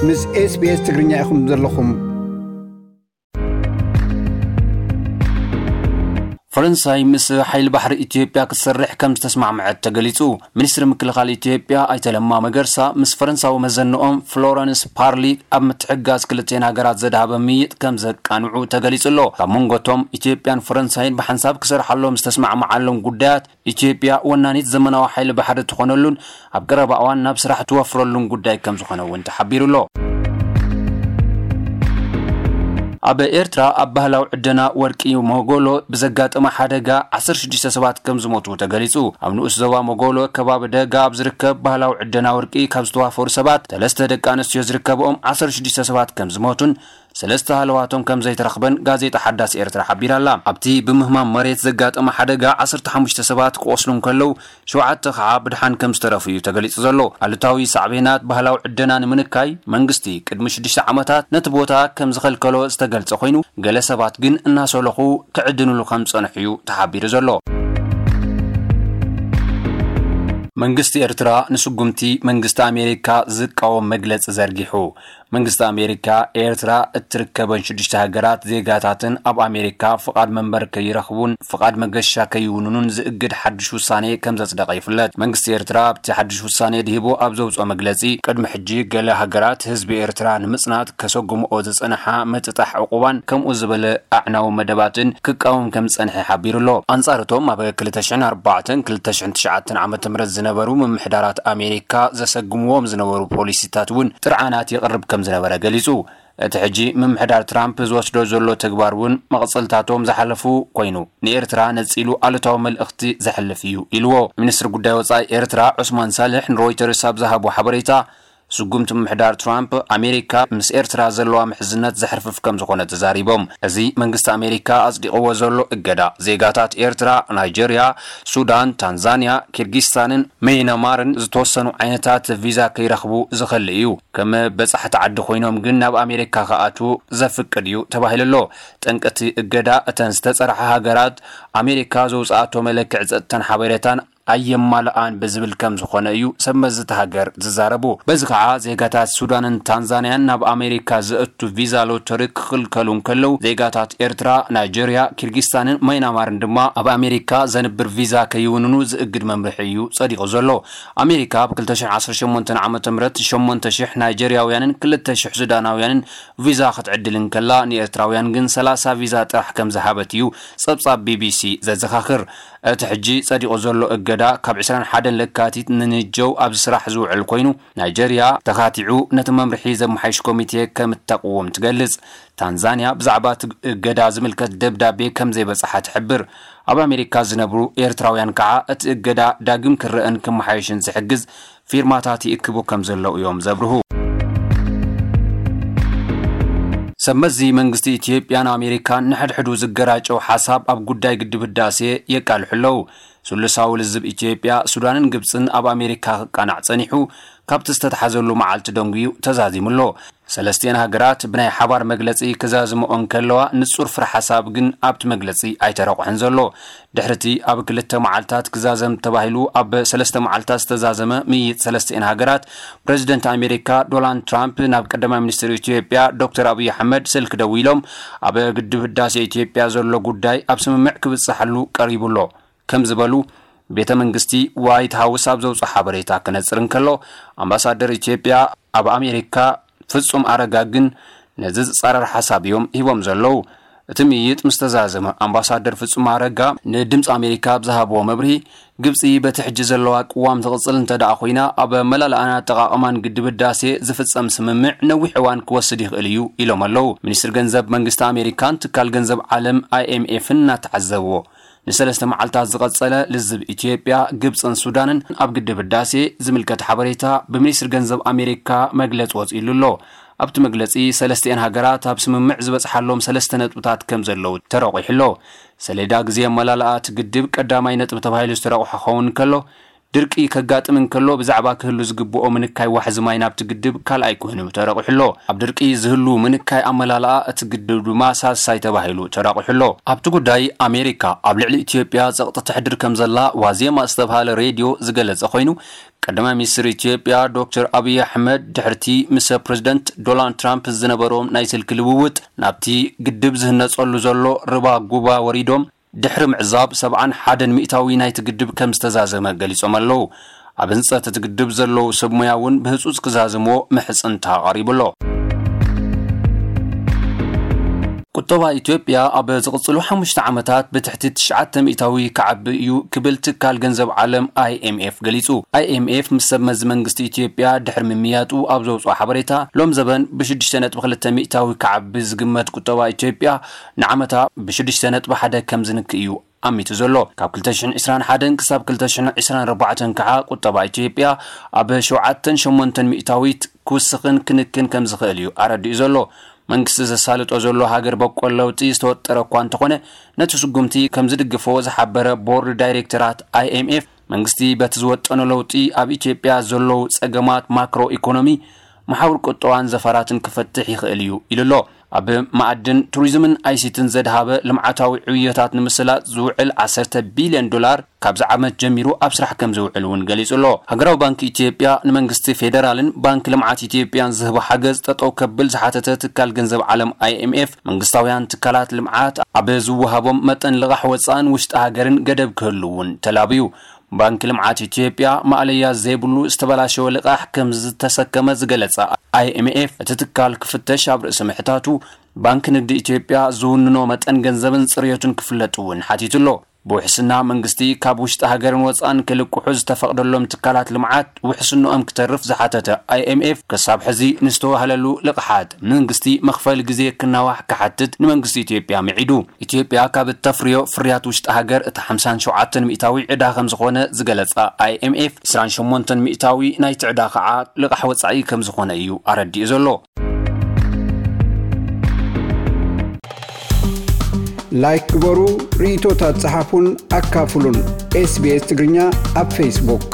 ምስ SBS ትግርኛ ኢኹም ዘለኹም። ፈረንሳይ ምስ ሓይሊ ባሕሪ ኢትዮጵያ ክትሰርሕ ከም ዝተስማዕመዐት ተገሊጹ። ሚኒስትሪ ምክልኻል ኢትዮጵያ ኣይተ ለማ መገርሳ ምስ ፈረንሳዊ መዘንኦም ፍሎረንስ ፓርሊ ኣብ ምትሕጋዝ ክልቲኤን ሃገራት ዘድሃበ ምይጥ ከም ዘቃንዑ ተገሊጹ ኣሎ። ካብ መንጎቶም ኢትዮጵያን ፈረንሳይን ብሓንሳብ ክሰርሓሎም ዝተስማዕመዓሎም ጉዳያት ኢትዮጵያ ወናኒት ዘመናዊ ሓይሊ ባሕሪ ትኾነሉን ኣብ ቀረባ እዋን ናብ ስራሕ ትወፍረሉን ጉዳይ ከም ዝኾነ እውን ተሓቢሩ ኣሎ። ኣብ ኤርትራ ኣብ ባህላዊ ዕደና ወርቂ ሞጎሎ ብዘጋጠመ ሓደጋ ዓሰርተ ሽዱሽተ ሰባት ከም ዝሞቱ ተገሊጹ። ኣብ ንኡስ ዞባ ሞጎሎ ከባቢ ደጋ ኣብ ዝርከብ ባህላዊ ዕደና ወርቂ ካብ ዝተዋፈሩ ሰባት ሰለስተ ደቂ ኣንስትዮ ዝርከብኦም ዓሰርተ ሽዱሽተ ሰባት ከም ዝሞቱን ሰለስተ ሃለዋቶም ከም ዘይተረኽበን ጋዜጣ ሓዳስ ኤርትራ ሓቢራ ኣላ። ኣብቲ ብምህማም መሬት ዘጋጠመ ሓደጋ ዓሰርተ ሓሙሽተ ሰባት ክቆስሉ እንከለዉ ሸውዓተ ከዓ ብድሓን ከም ዝተረፉ እዩ ተገሊጹ ዘሎ። ኣሉታዊ ሳዕቤናት ባህላዊ ዕደና ንምንካይ መንግስቲ ቅድሚ ሽዱሽተ ዓመታት ነቲ ቦታ ከም ዝኸልከሎ ዝተገልጸ ኮይኑ፣ ገለ ሰባት ግን እናሰለኹ ክዕድንሉ ከም ዝጸንሑ እዩ ተሓቢሩ ዘሎ። መንግስቲ ኤርትራ ንስጉምቲ መንግስቲ ኣሜሪካ ዝቃወም መግለጺ ዘርጊሑ። መንግስቲ ኣሜሪካ፣ ኤርትራ እትርከበን ሽዱሽተ ሃገራት ዜጋታትን ኣብ ኣሜሪካ ፍቓድ መንበር ከይረኽቡን ፍቓድ መገሻ ከይውንኑን ዝእግድ ሓድሽ ውሳኔ ከም ዘጽደቐ ይፍለጥ። መንግስቲ ኤርትራ ኣብቲ ሓድሽ ውሳኔ ድሂቡ ኣብ ዘውጽኦ መግለጺ፣ ቅድሚ ሕጂ ገለ ሃገራት ህዝቢ ኤርትራ ንምጽናት ከሰጉምኦ ዝጸንሓ ምጥጣሕ ዕቑባን ከምኡ ዝበለ ኣዕናዊ መደባትን ክቃወም ከም ዝጸንሐ ሓቢሩ ኣሎ። ኣንጻር እቶም ኣብ ክልተ ሽሕን ኣርባዕተን ክልተ ሽሕን ትሽዓተን ዓመተ ምህረት ዝነበሩ ምምሕዳራት ኣሜሪካ ዘሰግምዎም ዝነበሩ ፖሊሲታት እውን ጥርዓናት የቕርብ ከም ዝነበረ ገሊጹ። እቲ ሕጂ ምምሕዳር ትራምፕ ዝወስዶ ዘሎ ተግባር እውን መቕጽልታቶም ዝሓለፉ ኮይኑ፣ ንኤርትራ ነጺሉ ኣሉታዊ መልእኽቲ ዘሕልፍ እዩ ኢልዎ። ሚኒስትሪ ጉዳይ ወጻኢ ኤርትራ ዑስማን ሳልሕ ንሮይተርስ ኣብ ዝሃቦ ሓበሬታ፣ ስጉምቲ ምምሕዳር ትራምፕ ኣሜሪካ ምስ ኤርትራ ዘለዋ ምሕዝነት ዘሕርፍፍ ከም ዝኾነ ተዛሪቦም። እዚ መንግስቲ ኣሜሪካ ኣጽዲቕዎ ዘሎ እገዳ፣ ዜጋታት ኤርትራ፣ ናይጀርያ፣ ሱዳን፣ ታንዛንያ፣ ኪርጊስታንን መይናማርን ዝተወሰኑ ዓይነታት ቪዛ ከይረኽቡ ዝኸልእ እዩ። ከም በጻሕቲ ዓዲ ኮይኖም ግን ናብ ኣሜሪካ ክኣትዉ ዘፍቅድ እዩ ተባሂሉ ኣሎ። ጠንቂ እቲ እገዳ፣ እተን ዝተጸርሓ ሃገራት ኣሜሪካ ዘውጽኣቶ መለክዒ ጸጥታን ሓበሬታን ኣየማልኣን ብዝብል ከም ዝኾነ እዩ ሰብ መዚ እታ ሃገር ዝዛረቡ። በዚ ከዓ ዜጋታት ሱዳንን ታንዛንያን ናብ ኣሜሪካ ዘእቱ ቪዛ ሎተሪ ክኽልከሉ እንከለዉ፣ ዜጋታት ኤርትራ፣ ናይጀርያ፣ ኪርጊስታንን ማይናማርን ድማ ኣብ ኣሜሪካ ዘንብር ቪዛ ከይውንኑ ዝእግድ መምርሒ እዩ ጸዲቑ ዘሎ። ኣሜሪካ ኣብ ክልተ ሽሕ ዓሰርተ ሸሞንተ ዓመተ ምህረት ሸሞንተ ሽሕ ናይጀርያውያንን ክልተ ሽሕ ሱዳናውያንን ቪዛ ክትዕድል እንከላ፣ ንኤርትራውያን ግን ሰላሳ ቪዛ ጥራሕ ከም ዝሃበት እዩ ጸብጻብ ቢቢሲ ዘዘኻኽር። እቲ ሕጂ ጸዲቑ ዘሎ እገዳ ካብ ዕስራን ሓደን ለካቲት ንንጀው ኣብ ስራሕ ዝውዕል ኮይኑ፣ ናይጀርያ ተኻቲዑ ነቲ መምርሒ ዘመሓይሽ ኮሚቴ ከም እተቕውም ትገልጽ። ታንዛንያ ብዛዕባ እቲ እገዳ ዝምልከት ደብዳቤ ከም ዘይበጽሓ ትሕብር። ኣብ ኣሜሪካ ዝነብሩ ኤርትራውያን ከዓ እቲ እገዳ ዳግም ክረአን ክመሓየሽን ዝሕግዝ ፊርማታት ይእክቡ ከም ዘለዉ እዮም ዘብርሁ። ሰብ መዚ መንግስቲ ኢትዮጵያን ኣሜሪካን ንሕድሕዱ ዝገራጨው ሓሳብ ኣብ ጉዳይ ግድብ ህዳሴ የቃልሑ ኣለዉ። ስሉሳዊ ልዝብ ኢትዮጵያ፣ ሱዳንን ግብጽን ኣብ ኣሜሪካ ክቃናዕ ጸኒሑ፣ ካብቲ ዝተተሓዘሉ መዓልቲ ደንጉዩ ተዛዚሙ ኣሎ። ሰለስቲኤን ሃገራት ብናይ ሓባር መግለጺ ክዛዝምኦ እንከለዋ፣ ንጹር ፍረ ሓሳብ ግን ኣብቲ መግለጺ ኣይተረቑሐን ዘሎ። ድሕሪቲ ኣብ ክልተ መዓልታት ክዛዘም ተባሂሉ ኣብ ሰለስተ መዓልታት ዝተዛዘመ ምይይጥ ሰለስቲኤን ሃገራት፣ ፕረዚደንት ኣሜሪካ ዶናልድ ትራምፕ ናብ ቀዳማይ ሚኒስትር ኢትዮጵያ ዶክተር ኣብይ ኣሕመድ ስልክ ደዊሎም፣ ኣብ ግድብ ህዳሴ ኢትዮጵያ ዘሎ ጉዳይ ኣብ ስምምዕ ክብጽሓሉ ቀሪቡ ኣሎ ከም ዝበሉ ቤተ መንግስቲ ዋይት ሃውስ ኣብ ዘውፅኦ ሓበሬታ ክነፅር እንከሎ፣ ኣምባሳደር ኢትዮጵያ ኣብ ኣሜሪካ ፍጹም ኣረጋ ግን ነዚ ዝጻረር ሓሳብ እዮም ሂቦም ዘለዉ። እቲ ምይይጥ ምስ ተዛዘመ፣ ኣምባሳደር ፍጹም ኣረጋ ንድምፂ ኣሜሪካ ኣብ ዝሃብዎ መብርሂ፣ ግብፂ በቲ ሕጂ ዘለዋ ቅዋም ትቕጽል እንተ ደኣ ኮይና፣ ኣብ መላልኣን ኣጠቓቕማን ግድብ ህዳሴ ዝፍጸም ስምምዕ ነዊሕ እዋን ክወስድ ይኽእል እዩ ኢሎም ኣለዉ። ሚኒስትሪ ገንዘብ መንግስቲ ኣሜሪካን ትካል ገንዘብ ዓለም ኣይኤምኤፍን እናተዓዘብዎ፣ ንሰለስተ መዓልታት ዝቐጸለ ልዝብ ኢትዮጵያ፣ ግብጽን ሱዳንን ኣብ ግድብ ህዳሴ ዝምልከት ሓበሬታ ብሚኒስትሪ ገንዘብ ኣሜሪካ መግለጺ ወጺኡሉ ኣሎ። ኣብቲ መግለጺ፣ ሰለስቲኤን ሃገራት ኣብ ስምምዕ ዝበጽሓሎም ሰለስተ ነጥብታት ከም ዘለዉ ተረቑሑ ኣሎ። ሰሌዳ ግዜ ኣመላልኣ እቲ ግድብ ቀዳማይ ነጥቢ ተባሂሉ ዝተረቑሐ ክኸውን ከሎ፣ ድርቂ ከጋጥም እንከሎ ብዛዕባ ክህሉ ዝግብኦ ምንካይ ዋሕዚ ማይ ናብቲ ግድብ ካልኣይ ኩሕኑ ተረቑሑ ኣሎ። ኣብ ድርቂ ዝህሉ ምንካይ ኣመላልኣ እቲ ግድብ ድማ ሳልሳይ ተባሂሉ ተራቑሑ ኣሎ። ኣብቲ ጉዳይ ኣሜሪካ ኣብ ልዕሊ ኢትዮጵያ ጸቕጢ ተሕድር ከም ዘላ ዋዜማ ዝተባሃለ ሬድዮ ዝገለጸ ኮይኑ፣ ቀዳማይ ሚኒስትር ኢትዮጵያ ዶክተር ኣብይ ኣሕመድ ድሕርቲ ምስ ፕሬዚደንት ዶናልድ ትራምፕ ዝነበሮም ናይ ስልኪ ልውውጥ ናብቲ ግድብ ዝህነጸሉ ዘሎ ርባ ጉባ ወሪዶም ድሕሪ ምዕዛብ ሰብዓን ሓደን ሚእታዊ ናይቲ ግድብ ከም ዝተዛዘመ ገሊጾም ኣለዉ። ኣብ ህንጸት እቲ ግድብ ዘለዉ ሰብ ሞያ እውን ብህጹጽ ክዛዝምዎ ምሕጽንታ ቀሪቡ ኣሎ። ቁጠባ ኢትዮጵያ ኣብ ዝቕጽሉ ሓሙሽተ ዓመታት ብትሕቲ ትሽዓተ ሚእታዊ ክዓቢ እዩ ክብል ትካል ገንዘብ ዓለም ኣይ ኤም ኤፍ ገሊጹ። ኣይ ኤም ኤፍ ምስ ሰብ መዚ መንግስቲ ኢትዮጵያ ድሕሪ ምምያጡ ኣብ ዘውጽኦ ሓበሬታ፣ ሎም ዘበን ብሽዱሽተ ነጥቢ ክልተ ሚእታዊ ክዓቢ ዝግመት ቁጠባ ኢትዮጵያ ንዓመታ ብሽዱሽተ ነጥቢ ሓደ ከም ዝንክእ እዩ ኣሚቱ ዘሎ። ካብ ክልተ ሽሕን ዕስራን ሓደን ክሳብ ክልተ ሽሕን ዕስራን ኣርባዕተን ከዓ ቁጠባ ኢትዮጵያ ኣብ ሸውዓተን ሸሞንተን ሚእታዊት ክውስኽን ክንክን ከም ዝኽእል እዩ ኣረዲኡ ዘሎ። መንግስቲ ዘሳልጦ ዘሎ ሃገር በቆል ለውጢ ዝተወጠረ እኳ እንተኾነ፣ ነቲ ስጉምቲ ከም ዝድግፎ ዝሓበረ ቦርድ ዳይሬክተራት ኣይ ኤም ኤፍ፣ መንግስቲ በቲ ዝወጠኖ ለውጢ ኣብ ኢትዮጵያ ዘለዉ ጸገማት ማክሮ ኢኮኖሚ፣ መሓውር ቁጠባን ዘፈራትን ክፈትሕ ይኽእል እዩ ኢሉ ኣሎ። ኣብ መኣድን ቱሪዝምን ኣይ ሲ ቲን ዘድሃበ ልምዓታዊ ዕብዮታት ንምስላጥ ዝውዕል ዓሰርተ ቢልዮን ዶላር ካብዚ ዓመት ጀሚሩ ኣብ ስራሕ ከም ዝውዕል እውን ገሊጹ ኣሎ። ሃገራዊ ባንክ ኢትዮጵያ ንመንግስቲ ፌዴራልን ባንክ ልምዓት ኢትዮጵያን ዝህቦ ሓገዝ ጠጠው ከብል ዝሓተተ ትካል ገንዘብ ዓለም ኣይ ኤም ኤፍ፣ መንግስታውያን ትካላት ልምዓት ኣብ ዝወሃቦም መጠን ልቓሕ ወፃእን ውሽጢ ሃገርን ገደብ ክህሉ እውን ተላብዩ። ባንክ ልምዓት ኢትዮጵያ ማእለያ ዘይብሉ ዝተበላሸወ ልቓሕ ከም ዝተሰከመ ዝገለጸ ኣይ ኤም ኤፍ፣ እቲ ትካል ክፍተሽ ኣብ ርእሲ ምሕታቱ፣ ባንክ ንግዲ ኢትዮጵያ ዝውንኖ መጠን ገንዘብን ጽርዮቱን ክፍለጥ እውን ሓቲቱ ኣሎ። ብውሕስና መንግስቲ ካብ ውሽጢ ሃገርን ወፃእን ክልቅሑ ዝተፈቕደሎም ትካላት ልምዓት ውሕስንኦም ክተርፍ ዝሓተተ ኣይ ኤም ኤፍ፣ ክሳብ ሕዚ ንዝተዋህለሉ ልቕሓት መንግስቲ መኽፈሊ ግዜ ክናዋሕ ክሓትት ንመንግስቲ ኢትዮጵያ ምዒዱ። ኢትዮጵያ ካብ እተፍርዮ ፍርያት ውሽጢ ሃገር እቲ ሓምሳን ሸውዓተን ሚእታዊ ዕዳ ከም ዝኾነ ዝገለጸ ኣይ ኤም ኤፍ፣ ዕስራን ሸሞንተን ሚእታዊ ናይቲ ዕዳ ከዓ ልቓሕ ወጻኢ ከም ዝኾነ እዩ ኣረዲኡ ዘሎ። ላይክ ግበሩ፣ ርእይቶታት ጸሓፉን ኣካፍሉን። ኤስ ቢ ኤስ ትግርኛ ኣብ ፌስቡክ።